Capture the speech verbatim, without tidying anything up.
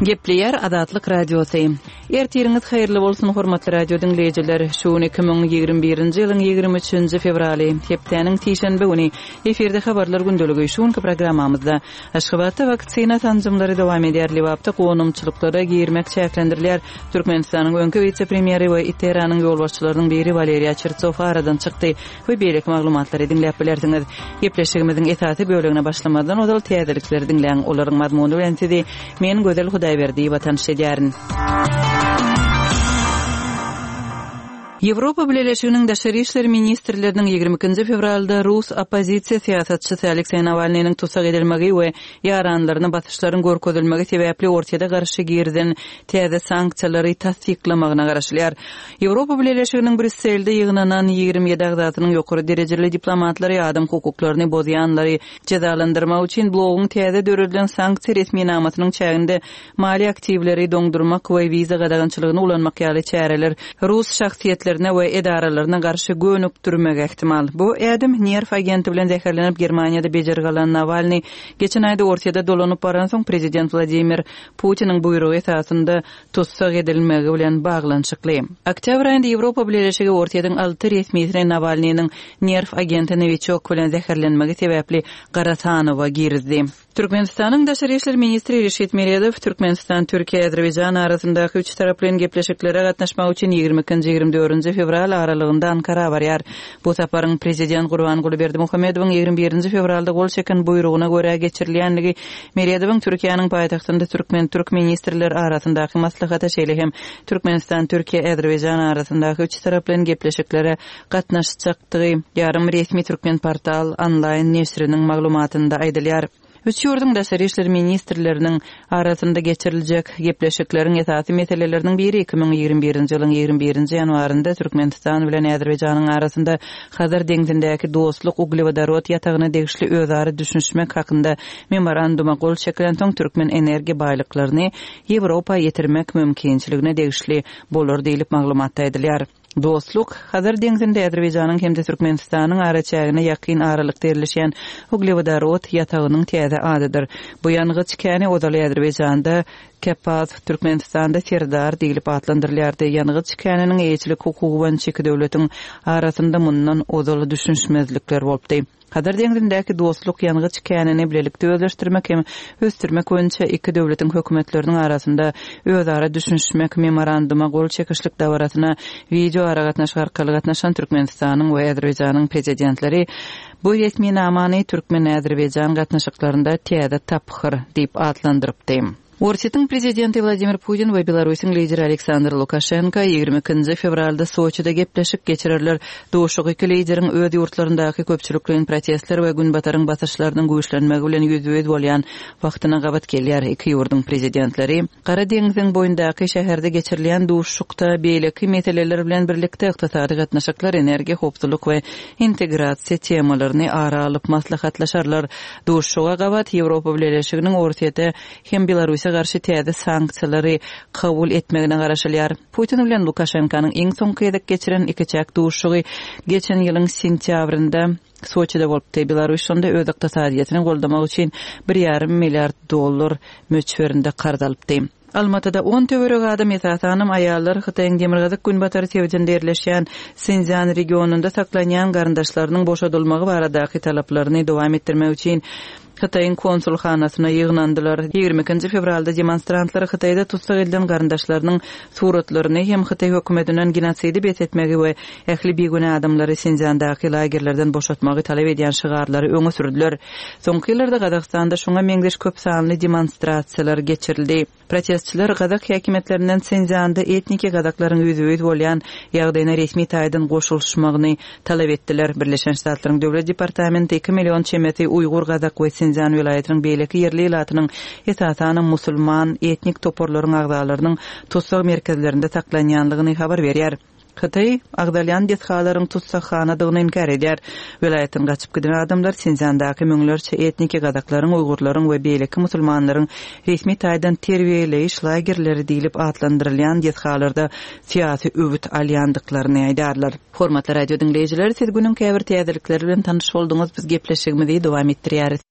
Gepleýär Azatlyk Radiosy. Ertiriňiz haýyrly bolsun, hormatly radio diňleýjiler. Şu gün iki müň ýigrimi birinji ýylyň ýigrimi üçünji fewraly, hepdäniň sişenbe güni. Efirde habarlar gündeligi. Şu günki programmamyzda Aşgabatda waksina sanjymlary dowam edýär, Lebapda gonamçylyklara girmek çäklendirilýär, Türkmenistanyň öňki wise-premýeri we ITERA-nyň ýolbaşçylarynyň biri Waleriý Çertsow aradan çykdy we beýleki maglumatlary diňläp bilersiňiz. Gepleşigimiziň esasy bölegine başlamazdan ozal täzelikleri diňläň. Olaryň mazmuny bilen sizi men Gözel Hudaýberdiýewa tanyş edýärin. Ýewropa Bileleşiginiň daşary işler ministrleriniň ýigrimi ikinji fewralda rus oppozisiýa syýasatçysy Alekseý Nawalnynyň tussag edilmegi we ýaranlaryna basyşlaryň görkezilmegi sebäpli Orsýete garşy girizen täze sanksiýalary tassyklamagyna garaşylýar. Ýewropa Bileleşiginiň Brýusselde ýygnanan ýigrimi ýedi agzasynyň ýokary derejeli diplomatlary adam hukuklaryny bozýanlary jezalandyrmak üçin bloguň täze döredilen sanksiýa resminamasynyň çäginde maliýe aktiwleri doňdurmak we wiza gadagançylygyny ulanmak ýaly çäreler rus şahsyýetlerine we edaralaryna garşy gönükdirmegi ähtimal. Bu ädim nerw agenti bilen zäherlenip Germaniýada bejergi alan Nawalny geçen aýda Orsýete dolanyp baransoň prezident Wladimir Putiniň buýrugy esasynda tussag edilmegi bilen baglanyşykly. Oktýabr aýynda Ýewropa Bileleşigi Orsýetiň alty resmisini Nawalnynyň nerw agenti Nowiçok bilen zäherlenmegi sebäpli gara sanawa girizdi. Türkmenistanyň Daşary işler ministri Reşit Meredow Türkmenistan, Türkiýe, Azerbaýjan arasyndaky üç taraplaýyn gepleşiklere gatnaşmak üçin ýigrimi ikinji, ýigrimi dördünji fewral aralygynda Ankara barýar. Bu saparyň prezident Gurbanguly Berdimuhamedowyň ýigrimi birinji fewralda gol çeken buýrugyna görä geçirilýändigi Meredowyň Türkiýäniň paýtagtynda türkmen-türk ministrler arasyndaky maslahata, şeýle hem Türkmenistan, Türkiýe, Azerbaýjan arasyndaky üç taraplaýyn gepleşiklere gatnaşjakdygy ýarym resmi Türkmenportal onlaýn neşiriniň maglumatynda aýdylýar. Üç ýurduň daşary işler ministrleriniň arasynda geçiriljek gepleşikleriň esasy meseleleriniň biri iki müň ýigrimi birinji ýylyň ýigrimi birinji ýanwarynda Türkmenistan bilen Azerbaýjanyň arasynda Hazar deňzindäki dostluk uglewodorod ýatagyna degişli özara düşünişmek hakynda memoranduma gol çekilensoň türkmen energiýa baýlyklaryny Ýewropa ýetirmek mümkinçiligine degişli bolar diýlip maglumatda aýdylýar. Dostluk, Hazar deňzinde Azerbaýjanyň hem-de Türkmenistanyň araçägine ýakyn aralykda ýerleşýän uglewodorod ýatagynyň täze adydyr. Bu ýangyç käni ozaly Azerbaýjanda Kepaz, Türkmenistanda Serdar diýlip atlandyrylýardy. Ýangyç käniniň eýeçilik hukugy boýunça iki döwletiň arasynda mundan ozal düşünişmezlikler bolupdy. Hazar deňzindäki dostluk ýangyç känini bilelikde özleşdirmek hem ösdürmek boýunça iki döwletiň hökümetleriniň arasynda özara düşünişmek memoranduma gol çekişlik dabarasyna wideo aragatnaşyk arkaly gatnaşan Türkmenistanyň we Azerbaýjanyň prezidentleri bu resminamany Türkmen-Azerbaýjan gatnaşyklarynda täze tapgyr diýip atlandyrypdy. Orsýetiň prezidenti Wladimir Putin we Belarusyň lideri Aleksandr Lukaşenko ýigrimi ikinji fewralda Soçide gepleşik geçirerler. Duşuşyk iki lideriň öz ýurtlaryndaky köpçülikleýin protestler we günbataryň basyşlarynyň güýçlenmegi bilen ýüzbe-ýüz bolýan wagtyna gabat gelýär. Iki ýurduň prezidentleri Gara deňziň boýundaky şäherde geçirilýän duşuşykda beýleki meseleler bilen birlikde ykdysady gatnaşyklar, energiýa howpsuzlyk we integrasiýa temalaryny ara alyp maslahatlaşarlar. Duşuşyga gabat Ýewropa Bileleşiginiň Orsýete hem Belarusa garşy täze sanksiýalary kabul etmegine garaşylýar. Putin bilen Lukaşenkanyň iň soňky gezek geçiren ikiçäk duşuşygy geçen ýylyň sentýabrynda Soçide bolupdy. Belarus şonda öz ykdysadyýetini goldamak üçin bir ýarym milliard dollar möçberinde karz alypdy. Almatyda on töweregi adam, esasanam aýallar, Hytaýyň demirgazyk-günbatar sebitinde ýerleşýän Sinzýan regionynda saklanýan garyndaşlarynyň boşadylmagy baradaky talaplaryny dowam etdirmek üçin Hytaýyň konsulhanasyna ýygnandylar. Ýigrimi ikinji fewralda demonstrantlar Hytaýda tussag edilen garyndaşlarynyň suratlaryny hem Hytaý hökümetinden genosidi bes etmegi we ähli bigünä adamlary Sinzýandaky lagerlerden boşatmagy talap edýän şygarlary öňe sürdüler. Soňky ýyllarda Gazagystanda şoňa meňzeş köp sanly demonstrasiýalar geçirildi. Protestçiler gazak häkimiýetlerinden Sinzýanda etniki gazaklaryň ýüzbe-ýüz bolýan ýagdaýyna resmi taýdan goşulyşmagyny talap etdiler. Birleşen Ştatlaryň Döwlet departamenti iki million çemesi uýgur gazak we Sinzýan welaýatynyň beýleki ýerli ilatynyň, esasanam musulman etnik toparlaryň agzalarynyň tussag merkezlerinde saklanýanlygyny habar berýär. Hytaý agzalýan desgalaryň tussaghanadygyny inkär edýär. Welaýatdan gaçyp giden adamlar Sinzýandaky müňlerçe etniki gazaklaryň, uýgurlaryň we beýleki musulmanlaryň resmi taýdan terbiýeleýiş lagerleri diýlip atlandyrylýan desgalarda syýasy öwüt alýandyklaryny aýdarlar. Hormatly radio diňleýjiler, siz günüň käbir täzelikleri bilen tanyş bolduňyz. Biz gepleşigimizi dowam etdirýäris.